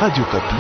Radio Okapi.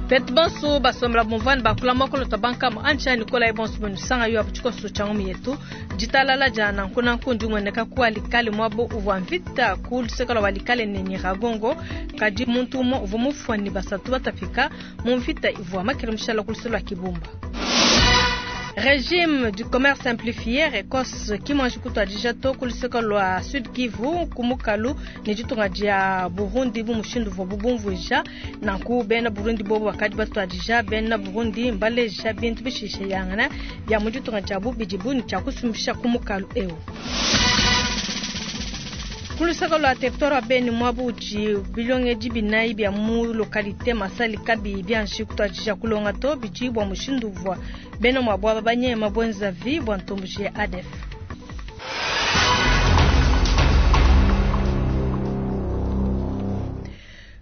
Betu bonso basombela bumvua bakula muakulu bankama antsha Nikolai bonso benu sanga yo abu tshikoso tshia ngumu yetu ditalala dia nanku nanku ndi umueneka ku Walikale muabu uvua mvita ku luseke lua Walikale ne Nyiragongo kadi muntu umue uvua mufua ne basatu batapika mu mvita ivua makele mushala ku luseke lua Kibumba. Régime du commerce simplifié RECOS ki muanji kutuadija to ku luseke lua Sud Kivu ku mukalu ne ditunga dia Burundi bu mushindu uvuabu bumvuija nanku bena Burundi bobu bakadi batuadija bena Burundi mbaleja bintu bishishilangana bia mu ditunga diabu bidibu ne tshia kusumbisha ku mukalu eu. Ku luseke lua territoire wa Beni muabu udi bilongedi binayi bia mu localité Masali kabiyi bianji kutuadija kulonga to bidi bua mushindu uvua bena muabu aba banyema bwenzavi bua ntomboji ya ADF.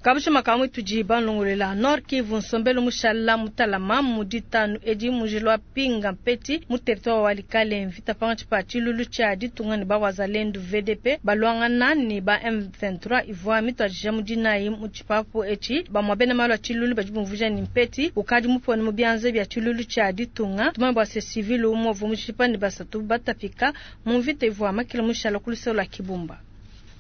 Kabusha makamu tudi banlongolela Nord Kivu nsombelu mushala mutalama mu ditanu edi mujilwa pinga mpeti mu territoire wa Walikale mvita pangatshi pa tshilulu tshia ditunga ne ba Wazalendo VDP balwangana ne ba M23 ivua mituadija mu dinayi mu tshipapu etshi bamua bena malu a tshilulu badi bumvuija ne mpeti ukadi mupone mu bianza bia tshilulu tshia ditunga tumanye bua se civil umue uvua mushipa ne basatu batapika mu mvita ivua makele mushala ku luseke lua Kibumba.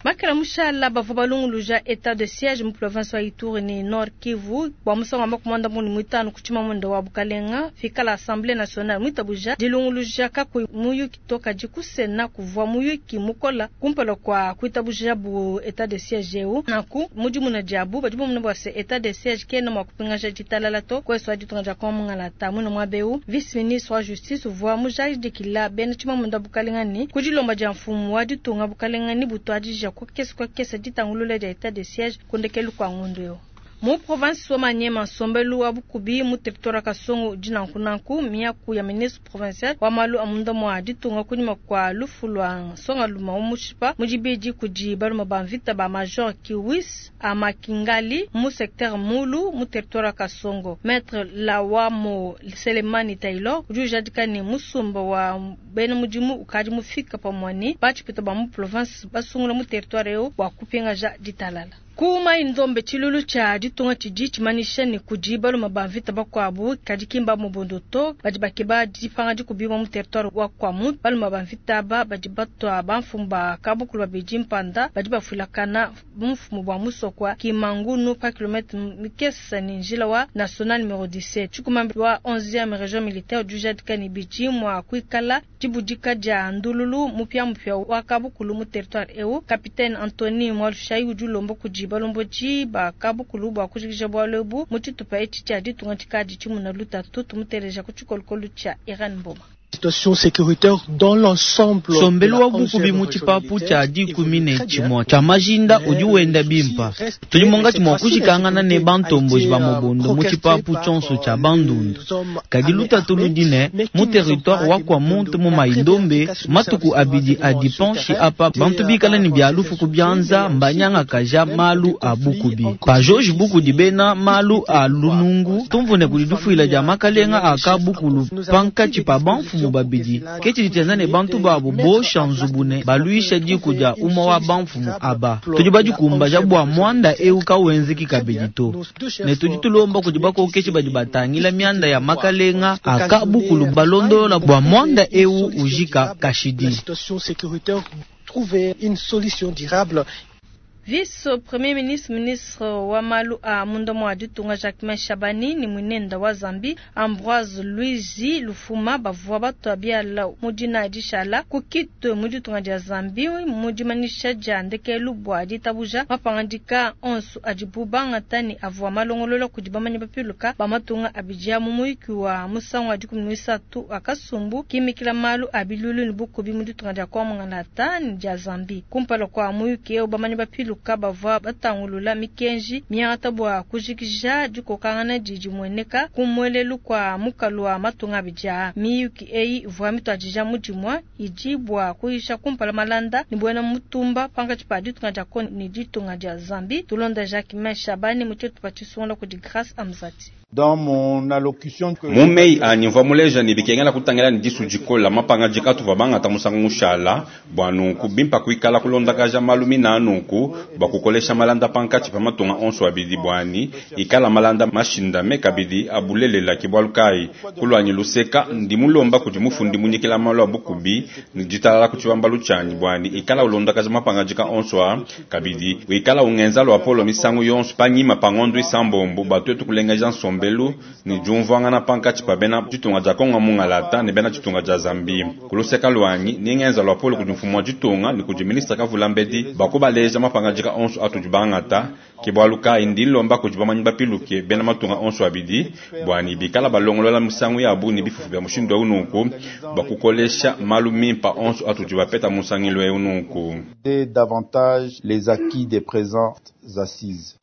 Makela mushala bavua balunguluja état de siège mu province wa Ituri ne Nord Kivu bua musangu wa makumanda muni muitanu ku tshimamunda wa bukalenga fikala Assemblée nationale muitabuja dilunguluja kakuyi muyuki to kadi ku Sénat kuvua muyuki mukola kumpala kua kuitabuja bu état de siège eu nanku mudimuna diabu badi bamona bua se état de siège kena mua kupingaja ditalala to kuesu wa ditunga dia Kongo mungalata muina muaba eu vice ministre wa justice uvua mujadikila bena tshimamunda bukalenga ne ku dilomba dia mfumu wa ditunga bukalenga ne butuadija kukesa kukesa ditangulula dia état de siège kundekelu kwa ngundu eu. Mu province wa Maniema nsombelu wa bukubi mu territoire Kasongo udi nanku nanku miaku ya ministre provincial wa malu a munda mua ditunga kunyima kua lufu lua nsongalume wa mushipa mu dibidi kudi balume ba mvita ba major Kiwis Amakingali mu secteur Mulu mu territoire Kasongo. Maître Lawamo Selemani Taylor udi ujadika ne musumba wa bena mudimu ukadi mufika pamue ne batshipita ba mu province basungula mu territoire eu bua kupingaja ditalala. Ku Mai Ndombe tshilulu tshia ditunga tshidi tshimanyisha ne kudi balume ba mvita bakuabu kadi kimba mubondo to badi bakeba dipanga dikubiwa mu territoire wa Kwamouth. Balume ba mvita aba badi batwa bamfumu ba kabukulu babidi mpanda badi bafulakana bumfumu bua musoko wa Kimangunu pa kilomètre mikesa ne njila wa national numero 17. Tshikumambi wa 11e région militaire udi ujadika ne bidi mua kuikala dibudika dia ndululu mupiamupia wa kabukulu mu territoire eu. Capitaine Anthony Mwalushayi udi ulomba kudi balombodi ba kabukulu bua kujikija bualu ebu mu tshitupa etshi tshia ditunga tshikadi tshimuna lutatu tumuteleja ku tshikolokolo tshia Iran Mboma. Situation sécuritaire dans l'ensemble. Sombelu wa bukubi mu tshipapu tshia dikumi ne tshimue tshia majinda udi wenda bimpa tudi monga mua kujikangana ne bantomboji ba mobondo mu tshipapu tshionso tshia bandundu kadi lutatu ludi ne mu territoire wa Kwamouth mu Mai-Ndombe matuku abidi adi panshi apa bantu bikala ne bia lufu ku bianza mbanyangakaja malu a bukubi pa George Bukudi bena malu a lunungu tumvune kudi dufuila dia makalenga a kabukulu pankatshi pa bamfumu babidi ke tshidi tshienza ne bantu babu bosha nzubu ne baluisha diku dia umue wa bamfumu aba tudi badikumbaja bua muanda eu kawenzeki kabidi to ne tudi tulomba kudi bakokeshi badi batangila mianda ya makalenga a kabukulu balondolola bua muanda eu ujika kashidi. La situation sécuritaire trouver une solution durable. Vice Premier ministre ministre wa malu a munda mua ditunga Jacquemain Shabani ni mwinenda wa Zambie Ambroise Louise Lufuma bavua batua biala mu dina dishala ku Kitwe mu ditunga dia Zambie mu dimanisha dia ndekelu bua ditabuja mapangadika onso adibu bangata ne avua malongolola kudi bamanyi bapiluka ba matunga abidi mu muyuki wa musangu wa 13 wa kasumbu kimikila malu a bilulu ne bukubi mu ditunga dia Kongo Mungalata ne dia Zambie kumpala kua muyuki eu bamanyi bapiluka bavua batangulula mikenji miangata bua kujikija dikokangana didi mueneka ku muelelu kua mukalu wa matunga abidi aa. Miyuki eyi ivua mituadija mu dimue idi bua kuyisha kumpala malanda ne buena mutumba pankatshi pa ditunga dia Kongo ne ditunga dia Zambie. Tulonda Jacquemain Shabani mu tshitupa tshisungula kudi Grace Amzati. Mu meyi anyi mvua muleja ne bikengela kutangila ne disu dikola mapangadika atuvua bangata musangu mushala. Bua nunku bimpa kuikala kulondakaja malu mina nunku bua kukolesha malanda pankatshi pa matunga onso abidi buani ikala malanda mashindame kabidi abulelela. Ke bualu kayi kuluanyi luseka ndi mulomba kudi mufundi munyikila malu a bukubi ne ditalala ku tshibambalu tshianyi buani ikala ulondakaja mapangadika onso a kabidi wikala ungenza luapolo misangu yonso panyima pa ngondo isambombo bua tuetu kulengeja nsombelu ne diumvuangana pankatshi pa bena ditunga dia Kongo mungalata ne bena ditunga dia Zambie. Kuluseka luanyi ningenza luapolo kudi mfumu wa ditunga ne kudi ministre Kavula Mbedi bua kubaleja mapangadika onso atudi bangata. Ke bualu kayi ndi nlomba kudi bamanyi bapiluke bena matunga onso abidi buani bikala balongolola misangu yabu ne bifufu bia mushindu eu nunku bua kukolesha malu mimpa onso atudi bapeta mu nsangilu eu nunku. Davantage les acquis des présentes assises.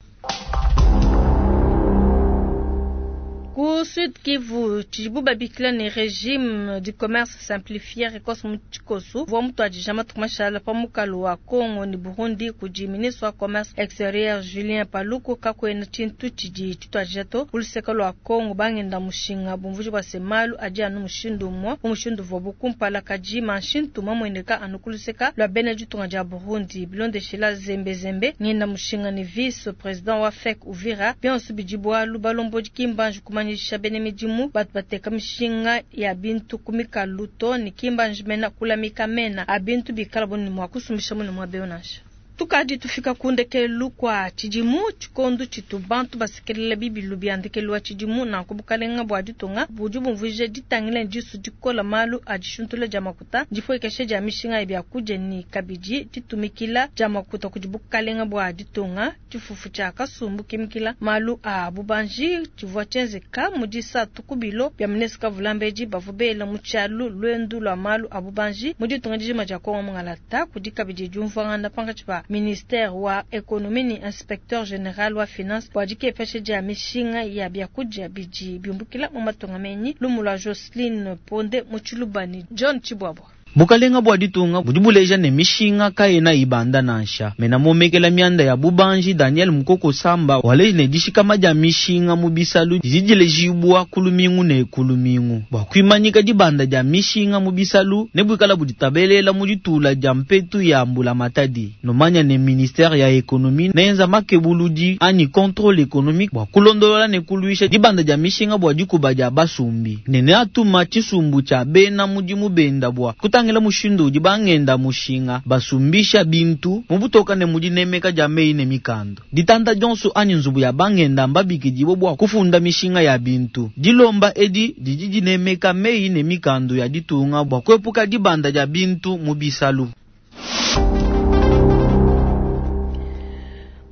Ku Sud Kivu tshidibu babikila ne régime du commerce simplifié RECOS mu tshikosu uvua mutuadija matuku mashala pa mukalu wa Congo ne Burundi kudi ministre wa commerce extérieur Julien Paluku. Kakuena tshintu tshidi tshituadija to ku luseke lua Congo bangenda mushinga bumvuji bua se malu adi anu mushindu umue mu mushindu uvuabu kumpala kadi manshintu mamueneka anu ku luseke lua bena ditunga dia Burundi. Bilondeshila zembezembe ngenda mushinga ne vice président wa FEC Uvira bionso bidi bualu balombodi kimbanji kumanyisha bene midimu batu bateka mishinga ya bintu ku mikalu to ne kimbanji mena kulamika mena a bintu bikala bo ne mua kusumbisha mune mua beo nansha. Tukadi tufika ku ndekelu kwa tshidimu tshikondo tshitu bantu basekelela bibilu bia ndekelu wa tshidimu nanku bukalenga bua ditunga budi bumvuija ditangila ne disu dikola malu a dishuntula dia makuta dipuekesha dia mishinga ya biakudia ne kabidi ditumikila dia makuta kudi bukalenga bua ditunga. Tshifufu tshia kasumbu kimikila malu a bubanji tshivua tshienzeka mu disatu ku bilo bia ministre Kavula Mbedi bavua bela mu tshialu luendu lua malu a bubanji mu ditunga dijima dia Kongo Mungalata. Kudi kabidi diumvuangana pankatshi pa ministère wa économie ne inspecteur général wa finance bua dikepesha dia mishinga ya biakudia bidi biumbukila mu matunga menyi. Lumu lua Jocelyn Ponde mu Tshilubani John Tshibwabwa. Bukalenga bua ditunga budi buleja ne mishinga kayena ibanda nansha mena momekela mianda ya bubanji Daniel Mukoko Samba waleji ne dishikama dia mishinga mu bisalu didi dilejibua kulumingu ne kulumingu bua kuimanyika dibanda dia mishinga mu bisalu ne buikala buditabelela mu ditula dia mpetu ya mbula matadi nomanya ne ministère ya économie nenza makebuludi anyi contrôle économique bua kulondolola ne kuluisha dibanda dia mishinga bua dikuba dia basumbi ne neatuma tshisumbu tshia bena mudimu benda bua kutangila mushindu udi bangenda mushinga basumbisha bintu mu butoka ne mudi nemeka dia meyi ne mikando ditanda dionso anyi nzubu ya bangenda mbabikidibo bua kufunda mishinga ya bintu dilomba edi didi dinemeka meyi ne mikando ya ditunga bua kuepuka dibanda dia bintu mu bisalu.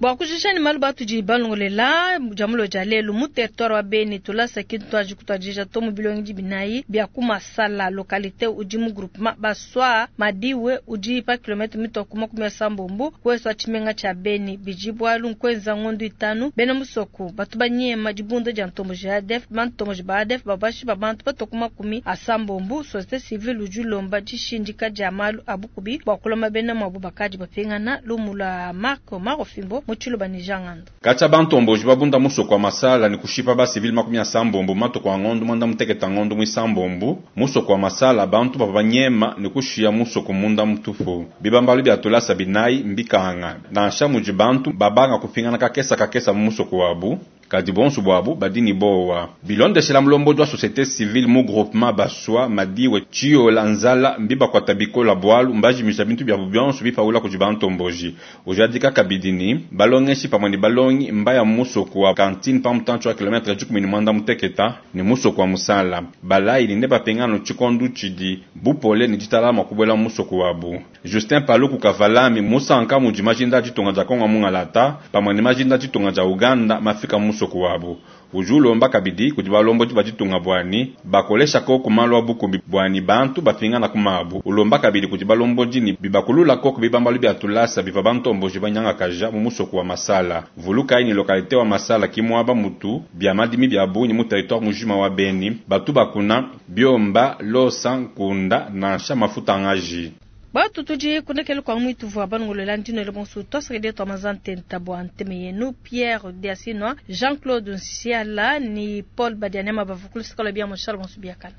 Bua kujisha ni malu batudi balongolela jamulo dia lelu mu territoire wa Beni tulasa kintu aji kutwadija to mu bilongi binayi bia ku Masala localité udi mu groupement Baswa Madiwe udi pa kilomètre mitoko 80 kweswa tshimenga tshia Beni bidi bualu nkwenza ngondo itanu bena musoko batu banyema dibunda dia ntomboji ya ADF bantomboji ba ADF babashi babantu batoko 80 société civile udi ulomba dishindika dia malu abukubi bua kuloma bena mwabu bakadi bapingana lumu lua Marco Marofimbo muchiluba ni jangando. Kacha bantomboji babunda musoko wa Masala ni kushipa ba civil 80 matuku a ngondo mwanda muteketa ngondo mwisambombo musoko wa Masala bantu baba nyema ni kushia musoko munda mutufu bibambalu bya tulasa binayi mbikanga nansha muji bantu babanga kupingana kakesa kakesa mu musoko wabu kadi bonso bwabu badini bowa bilondeshela mulombo wa société civile mu groupement Baswa Madiwe Chiola Nzala mbiba kwa tabikola bwalu mbajimisha bintu bya bubyanso bipaula kudi bantomboji ujadika kabidini balongeshi pamwe ni balongi mbaya musoko wa cantine pa mutancho wa kilometre 10 mwanda muteketa ni musoko wa Musala balai ni bapengano chikondu chidi bupole ni ditalama kubwela musoko wabu Justin Paluku Kavalami musanka mudi majinda ditunga dia Kongo mungalata pamwe ni majinda ditunga dia Uganda mafika musoko wabu ujulomba kabidi kudi balombo baditunga bwani bakolesha ko kumalwa bukumbi bwani bantu bapingana kumabu ulomba kabidi kudi balombo dini bibakulula ko bibambalu bya tulasa biva bantomboji banyanga kaja mu musoko wa Masala vuluka ni localité wa Masala kimwaba mutu bya madimi bya bunyi mu territoire mujima wa Beni batu bakuna biomba losa nkunda nansha mafuta ngaji. Batu tudi kundekelu kwa mwitu vwa banungulela ndino bonso twasakidila twa mazantenta bwa nteme yenu Pierre Diasinwa, Jean-Claude Nsiala ni Paul Badianema bavukulu sikalo bia moshalo bonso biakala.